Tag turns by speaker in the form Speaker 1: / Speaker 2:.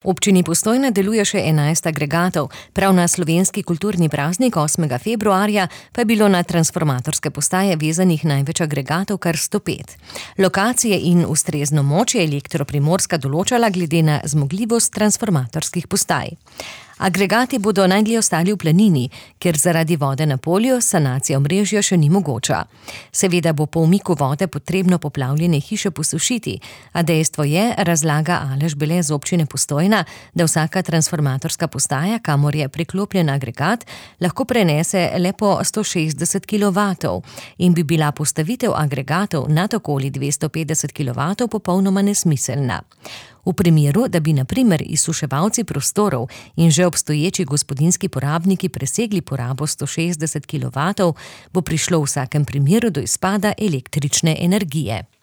Speaker 1: V občini Postojna deluje še 11 agregatov, prav na slovenski kulturni praznik 8. februarja pa je bilo na transformatorske postaje vezanih največ agregatov, kar 105. Lokacije in ustrezno moč je Elektro Primorska določala glede na zmogljivost transformatorskih postaj. Agregati bodo najdlje ostali v Planini, ker zaradi vode na polju sanacija omrežja še ni mogoča. Seveda bo po umiku vode potrebno poplavljene hiše posušiti, a dejstvo je, razlaga Aleš Bele z občine Postojna, da vsaka transformatorska postaja, kamor je priklopljen agregat, lahko prenese le po 160 kilovatov in bi bila postavitev agregatov nad okoli 250 kilovatov popolnoma nesmiselna. V primeru, da bi na primer izsuševalci prostorov in že obstoječi gospodinjski porabniki presegli porabo 160 kilovatov, bo prišlo v vsakem primeru do izpada električne energije.